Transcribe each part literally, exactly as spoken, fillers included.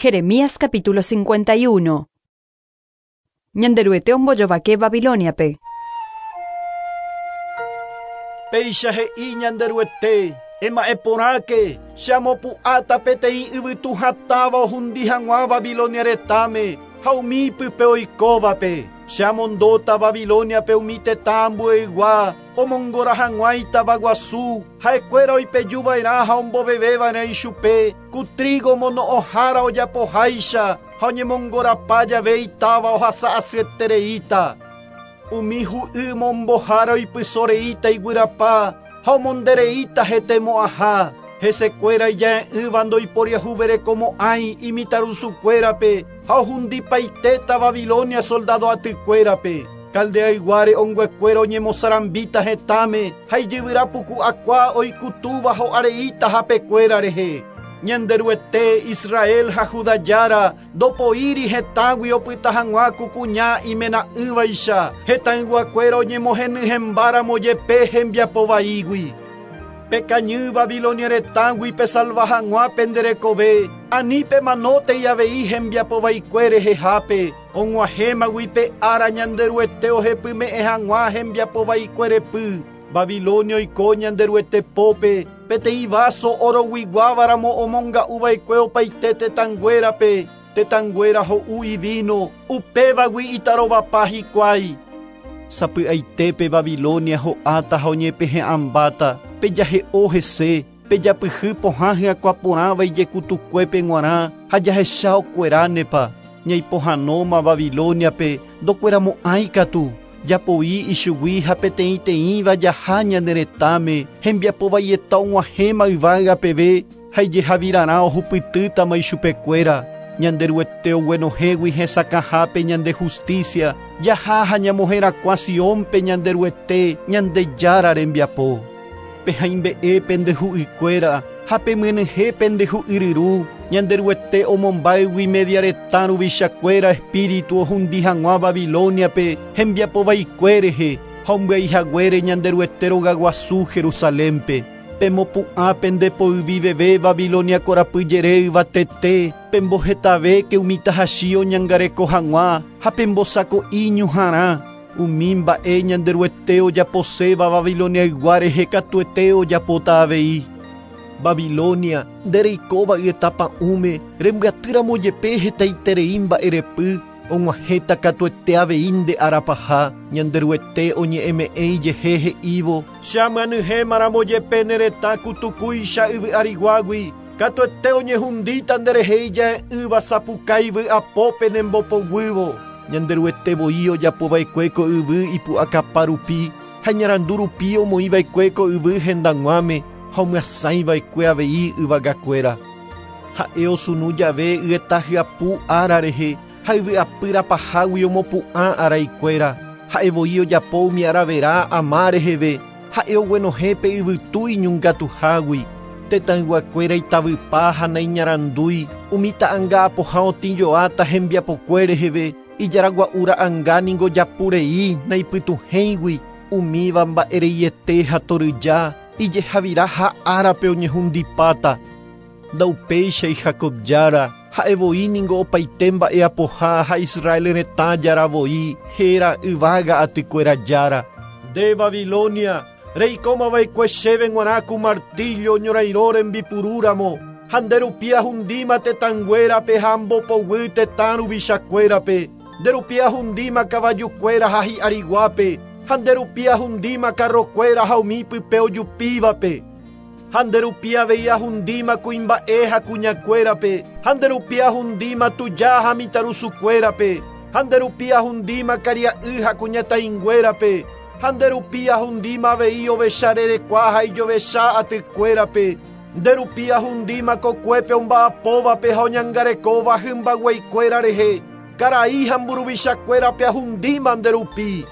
Jeremías capítulo cincuenta y uno. Ñanderuete ombojovake Babiloniape. Péicha he'i Ñanderuete, ema'ẽporãke, che amopu'ãta peteĩ yvytu hatãva ohundi hag̃ua Babilonia retãme ha umi pype oikóvape. Che amondóta Babiloniape umi tetã ambueygua, omongora hag̃ua itavaguasu, ha'ekuéra oipejuva'erã ha omboveveva'erã ichupe, ku trigo mono'õhára ojapoháicha ha oñemongorapa jave itáva ohasa asyetereíta. Umi hu'y mombohára oipysoreíta iguyrapa ha omondereíta hetemo'ãha. Hesekuéra ija'e'ỹva ndoiporiahuverekomo'ãi imitarusukuérape ha ohundipaitéta Babilonia soldado atykuérape. Caldeayguáre onguekuéra oñemosarambíta hetãme ha ijyvyrapuku'akua oikutúva ho'areíta hapekuéra rehe. Ñanderuete Israel ha Judá jára ndopoíri hetãgui opyta hag̃ua kukuña imena'ỹvaicha hetãyguakuéra oñemohenyhẽmbáramo jepe hembiapovaígui. Pekañy Babilonia retãgui pesalva hag̃ua penderekove, ani pemanótei avei hembiapovaikue rehehápe, og̃uahẽmagui pe ára Ñanderuete ohepyme'ẽ hag̃ua hembiapovaikue repy. Babilonia oiko Ñanderuete pópe, peteĩ vaso oroguiguávaramo omonga'uva'ekue opaite tetãnguérape, tetãnguéra ho'u ivino, upévagui itarovapa hikuái. Sapy'aitépe Babilonia ho'áta ha oñepehe'ãmbáta, pejahe'o hese, pejapyhy pohã hyakuãporãva ijekutukuépe g̃uarã ha jahecha okueránepa. Ñaipohãnóma Babiloniape ndokueramo'ãi katu, japoi ichugui ha peteĩteĩva jaha ñane retãme, hembiapovaieta og̃uahẽma yvága peve ha ijehavirarã ohupytýtama ichupekuéra. Ñanderuete oguenohẽgui hesakãhápe ñande justicia, jaha ha ñamoherakuã Siónpe Ñanderuete Ñandejára rembiapo. Pehãimbe'e pendehu'ykuéra ha pemyenyhẽ pendehu'yryru, Ñanderuete omombáygui media retã ruvichakuéra espíritu ohundi hag̃ua Babiloniape hembiapovaikue rehe ha ombyaihaguére Ñanderuete rogaguasu Jerusalénpe. Pemopu'ã pendepoyviveve Babilonia korapyjere yvatete, pembohetavéke umi tahachi oñangareko hag̃ua ha pembosako'i ñuhãrã. Umi mba'e Ñanderuete ojaposéva Babiloniaygua rehe katuete ojapóta avei. Babilonia, ndereikóva yetapa'ũme, rembyatýramo jepe hetaiterei mba'erepy, og̃uahẽta katuete avei nde arapaha. Ñanderuete oñe'ẽme'ẽ ijehe he'ívo, che amyanyhẽmaramo jepe ne retã kutukúicha yvy ariguágui, katuete oñehundíta nderehe ija'e'ỹva sapukái vy'apópe nembopoguývo. Ñanderuete voi ojapova'ekue ko yvy ipu'akapa rupi ha iñarandu rupi omoĩva'ekue ko yvy hendag̃uáme ha omyasãiva'ekue avei yvagakuéra. Ha'e osunu jave yeta hyapu ára rehe ha yvy'apyrapahágui omopu'ã araikuéra. Ha'e voi ojapo umi aravera ama reheve, ha'e oguenohẽ pe yvytu iñongatuhágui. Tetãyguakuéra itavypa ha naiñarandúi, umi ta'ãnga apoha otĩjoáta hembiapokue reheve, ijaragua'u ra'ãnga ningo japurei naipytuhẽigui, umíva mba'ereiete ha toryja, ijehavira ha árape oñehundipáta. Ndaupéichai Jacob jára, ha'e voi ningo opaite mba'e apoha ha Israel retã jára voi, héra yvága atykuéra jára. Nde Babilonia, reikómava'ekue chéve g̃uarã ku martillo ñorairõ rembipurúramo, ha nderupi ahundíma tetãnguérape ha ambopoguy tetã ruvichakuérape, nderupi ahundíma kavajukuéra ha hi'ariguápe, ha nderupi ahundíma carrokuéra ha umi pype ojupívape. Ha nderupi avei ahundíma kuimba'e ha kuñakuérape, ha nderupi ahundíma tuja ha mitãrusukuérape, ha nderupi ahundíma karia'y ha kuñataĩnguérape, ha nderupi ahundíma avei ovecharerekua ha ijovecha atykuérape, nderupi ahundíma kokuépe omba'apóvape ha oñangarekóva hymbagueikuéra rehe, karai ha mburuvichakuérape ahundíma nderupi.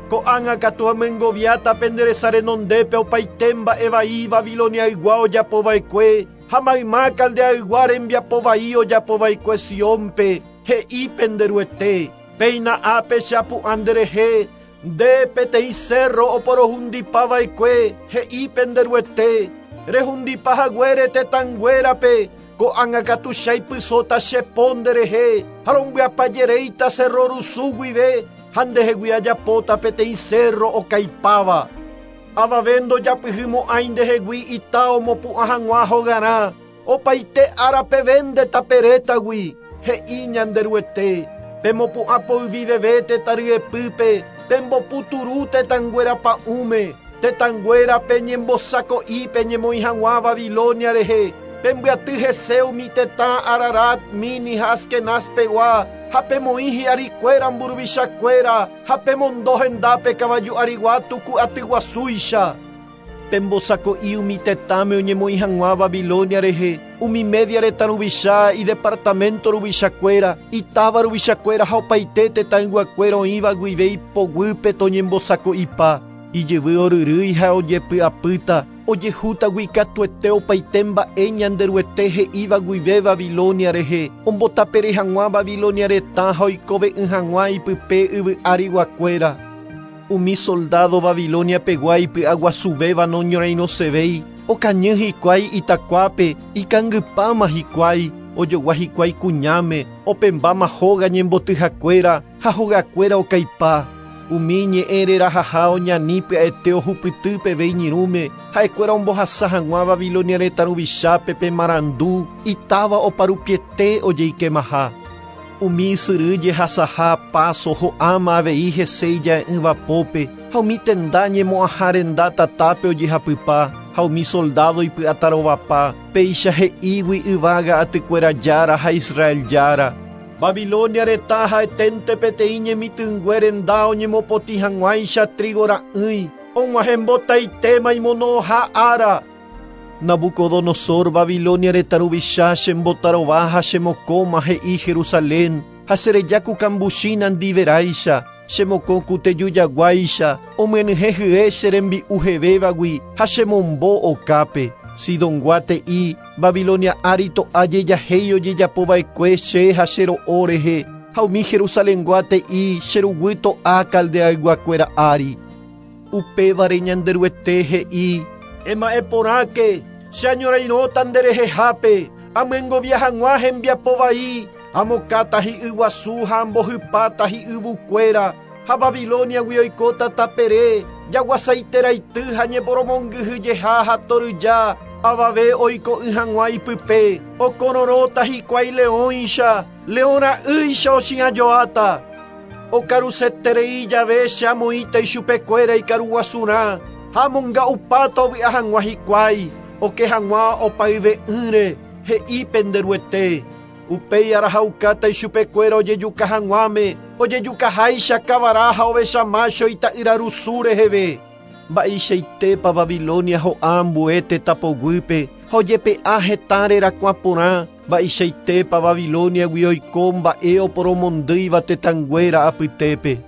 Ko'ág̃a katu amyengoviáta penderesa renondépe opaite mba'evai Babiloniaygua ojapova'ekue ha mayma Caldeaygua rembiapovai ojapova'ekue Siónpe, he'i Penderuete. Péina ápe che apu'ã nderehe, nde peteĩ cerro oporohundipava'ekue, he'i Penderuete, rehundipahaguére tetãnguérape, Ko'ág̃a katu chaipysóta che po nderehe ha rombyapyjereíta cerro rusu guive ha ndehegui ajapóta peteĩ cerro okaipáva. Avave ndojapyhymo'ãi ndehegui ita omopu'ã hag̃ua hogarã opaite árape nde taperétagui he'i Ñanderuete. Pemopu'ã poyviveve tetã ryepýpe pemboputuru tetãnguéra pa'ũme tetãnguéra peñembosako'i peñemoĩ hag̃ua Babilonia rehe pembyaty hese umi tetã Ararat, Mini ha Askenaz pegua ha pemoĩ hi'arikuéra mburuvichakuéra ha pemondo hendápe kavaju arigua tuku atyguasúicha. Pembosako'i umi tetãme oñemoĩ hag̃ua Babilonia rehe umi Media retã ruvicha idepartamento ruvichakuéra itáva ruvichakuéra ha opaite tetãyguakuéra oĩva guive ipoguýpe toñembosako'ipa ijyvy oryrýi ha ojepy'apýta ojehútagui katuete opaite mba'e Ñanderuete he'íva guive Babilonia rehe ombotapere hag̃ua Babilonia retã ha oikove'ỹ hag̃ua ipype yvy ariguakuéra. Umi soldado Babilonia pegua ipy'aguasuvéva noñorairõsevéi okañy hikuái itakuápe ikangypáma hikuái ojogua hikuái kuñáme opembáma hóga ñembotyhakuéra ha hogakuéra okaipa. Umi ñe'ẽ rerahaha oñani pya'ete ohupyty peve iñirũme ha'ekuéra ombohasa hag̃ua Babilonia retã ruvichápe pe marandu itáva oparupiete ojeikemaha. Umi ysyry jehasaha paso ho'áma avei hese ija'e'ỹva pópe ha umi tenda ñemo'ãha renda tatápe ojehapypa ha umi soldado ipy'atarovapa péicha he'ígui yvága atykuéra jára ha Israel jára. Babilonia retã ha'eténte peteĩ ñemitỹngue renda oñemopotĩ hag̃uáicha trigo ra'ỹi og̃uahẽmbotaitéma imono'õha ára. Nabucodonosor Babilonia retã ruvicha chembotarova ha chemokõma he'i Jerusalén ha chereja ku kambuchi nandiveráicha chemokõ ku tejujaguáicha omyenyhẽ hye che rembi'u hevévagui ha chemombo okápe. Sidongua te'i Babilonia ári to'a jejahéi ojejapova'ekue che ha che ro'o rehe ha umi Jerusalengua te'i che ruguy to'a Caldeayguakuéra ári. Upévare Ñanderuete he'i ema'ẽ porãke che añorairõta nderehehápe amyengovia hag̃ua hembiapovai amokáta hi'yguasu ha ambohypáta hi'yvukuéra ha Babiloniagui oikóta tapere jaguasaiteraity ha ñeporomongyhyjeha ha toryja avave oiko'ỹ hag̃ua ipype okororõta hikuái leõicha leõra'ýicha ochi'ãjoáta. Okaruseterei jave che amoĩta ichupekuéra ikaruguasurã ha amonga'upáta ovy'a hag̃ua hikuái oke hag̃ua opayve'ỹre he'i Penderuete. Upéi arahaukáta ichupekuéra ojejuka hag̃uáme ojejukaháicha kavara ha ovecha mácho ita'yrarusu reheve. Mba'eichaitépa Babilonia ho'a ambue tetã poguýpe ha ojepe'a hetã rerakuã porã mba'eichaitépa Babiloniagui oiko mba'e oporomondýiva tetãnguéra apytépe.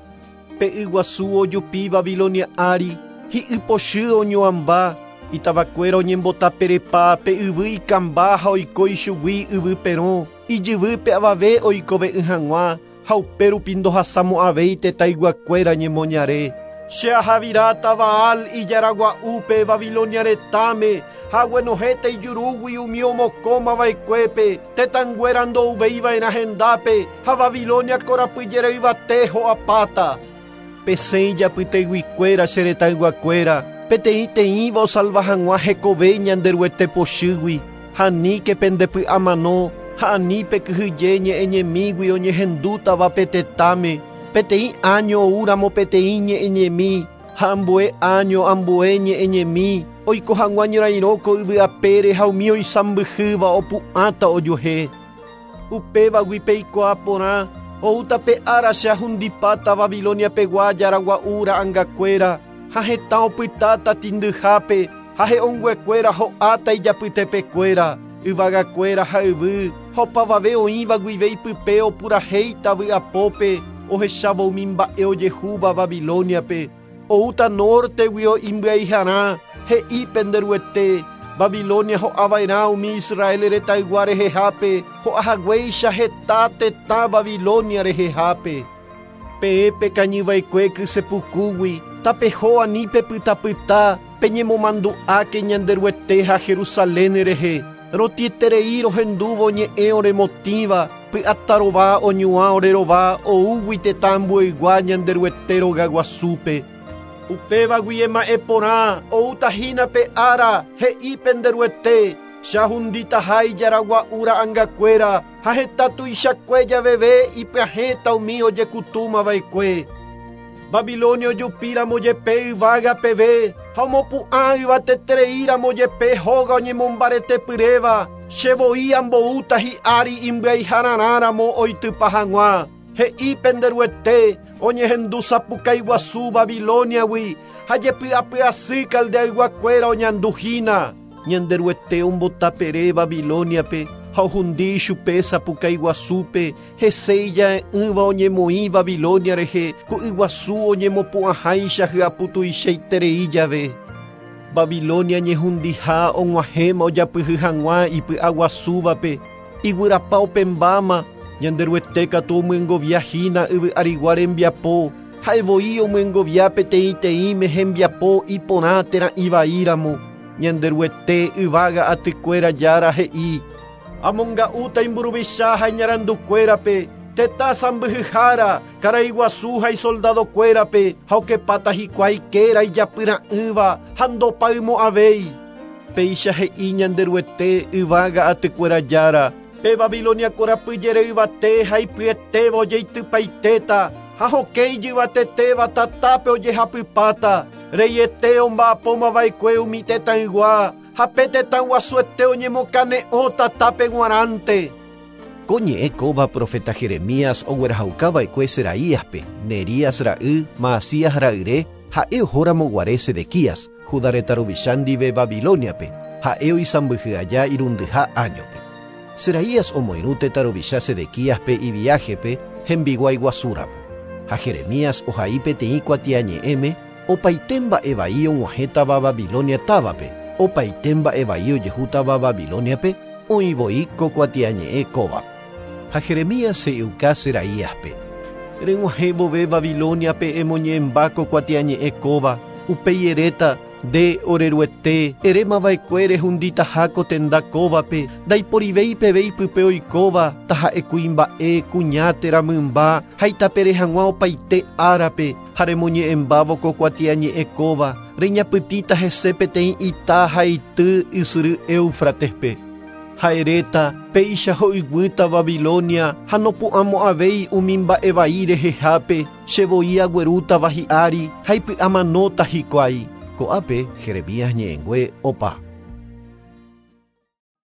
Pe yguasu ojupi Babilonia ári hi'ypochy oñoamba itavakuéra oñembotaperepa pe yvy ikamba ha oiko ichugui yvy perõ ijyvýpe avave oikove'ỹ hag̃ua ha upérupi ndohasamo'ãvéi tetãyguakuéra ñemoñare. Che ahaviráta Baal ijaragua'úpe Babilonia retãme ha aguenohẽta ijurúgui umi omokõmava'ekuépe tetãnguéra ndouveiva'erã hendápe ha Babilonia korapyjereyvate ho'apáta. Pesẽ ijapyteguikuéra che retãyguakuéra peteĩ teĩva osalva hag̃ua hekove Ñanderuete pochýgui ha aníke pendepy'amano ha ani pekyhyje ñe'ẽñemígui oñehendútava pe tetãme peteĩ año oúramo peteĩ ñe'ẽñemi ha ambue año ambue ñe'ẽñemi oiko hag̃ua ñorairõ ko yvy apére ha umi oisãmbyhýva opu'ãta ojuehe. Upévagui peikuaa porã oúta pe ára che ahundipáta Babilonia pegua jaragua'u ra'ãngakuéra ha hetã opytáta tindyhápe ha he'õnguekuéra ho'áta ijapytepekuéra yvagakuéra ha yvy ha opavave oĩva guive ipype opurahéita vy'apópe ohechávo umi mba'e ojehúva Babiloniape. Oúta norteguio imbyaiharã he'i Penderuete Babilonia ho'ava'erã umi Israel retãygua rehehápe ho'ahaguéicha heta tetã Babilonia rehehápe. Peẽ pekañyva'ekue kysepukúgui tapeho ani pepytapyta peñemomandu'áke Ñanderuete ha Jerusalén rehe. Rotieterei rohendúvo ñe'ẽ oremotĩva, py'atarova oñuã orerova oúgui tetã ambueygua Ñanderuete rogaguasúpe. Upévagui ema'ẽ porã outahína pe ára he'i penderuete, chahunditaha ijaragua'u ra'angakuéra ha heta tuichakue javeve ipyahẽta umi ojekutúmava'ekue. Babilonia ojupíramo jepe yvága peve ha omopu'ã yvatetereíramo jepe hóga oñemombaretepyréva, chevoi amboúta hi'ári imbyaihararãramo oitypa hag̃ua. He'i penderuete oñehendu sapukái guasu Babiloniagui ha jepy'apy'asy Caldeayguakuéra oñanduhína. Ñanderuete ombotapere Babiloniape ha ohundi chupe sapukái guasúpe hese ija'e'ỹva oñemoĩ Babilonia rehe ku yguasu oñemopu'ãháicha hyaputuichaiterei jave. Babilonia ñehundiha og̃uahẽma ojapyhy hag̃ua ipy'aguasúvape, iguyrapa opẽmbáma, Ñanderuete katu omyengoviahína yvy arigua rembiapo, ha'evoi omyengovia peteĩteĩme hembiapo iporã térã ivaíramo. Ñanderuete yvága atykuéra Jára he'i: Amonga'úta imburuvicha ha iñarandukuérape, tetã sãmbyhyhára, karaiguasu ha isoldadokuérape, ha okepáta hikuái kéra ijapyra'ỹva ha ndopaymo'ãvéi. Péicha he'i Ñanderuete yvága atykuéra Jára, pe Babilonia korapyjere yvate ha ipyetéva ojeitypaitéta, ha hokẽ ijyvatetéva tatápe ojehapypáta, reiete omba'apómava'ekue umi tetãygua, ha pe tetã guasuete oñemokane'õ tatápe g̃uarãnte. Ko ñe'ẽ kóva profeta Jeremías oguerahaukava'ekue Seraíaspe, Nerías ra'y, Maasías ra'yre, ha'e ohóramoguare Sedequías, Judá retã ruvicha ndive Babiloniape, ha'e oisãmbyhy aja irundyha áñope. Seraías omoirũ tetã ruvicha Sedequíaspe iviájepe hembiguái guasúramo. Ha Jeremías ohai peteĩ kuatiañe'ẽme opaite mba'e vai og̃uahẽtava Babilonia távape, opaite mba'e vai ojehútava Babiloniape, oĩvoi ko kuatiañe'ẽ kóva. Ha Jeremías he'iuka Seraíaspe: Reg̃uahẽ vove Babiloniape emoñe'ẽmba ko kuatiañe'ẽ kóva, upéi eréta nde oreruete erémava'ekue rehunditaha ko tenda kóvape, ndaiporivéi peve ipype oikóva, taha'e kuimba'e, kuña térã mymba, ha itapere hag̃ua opaite árape, ha remoñe'ẽmbávo ko kuatiañe'ẽ kóva, reñapytĩta hese peteĩ ita ha ity ysyry Éufratespe. Ha eréta péicha ho'yguýta Babilonia ha nopu'ãmo'ãvéi umi mba'e vai rehehápe, chevoi aguerútava hi'ári ha ipy'amanóta hikuái. Ko'ápe Jeremías ñe'ẽngue opa.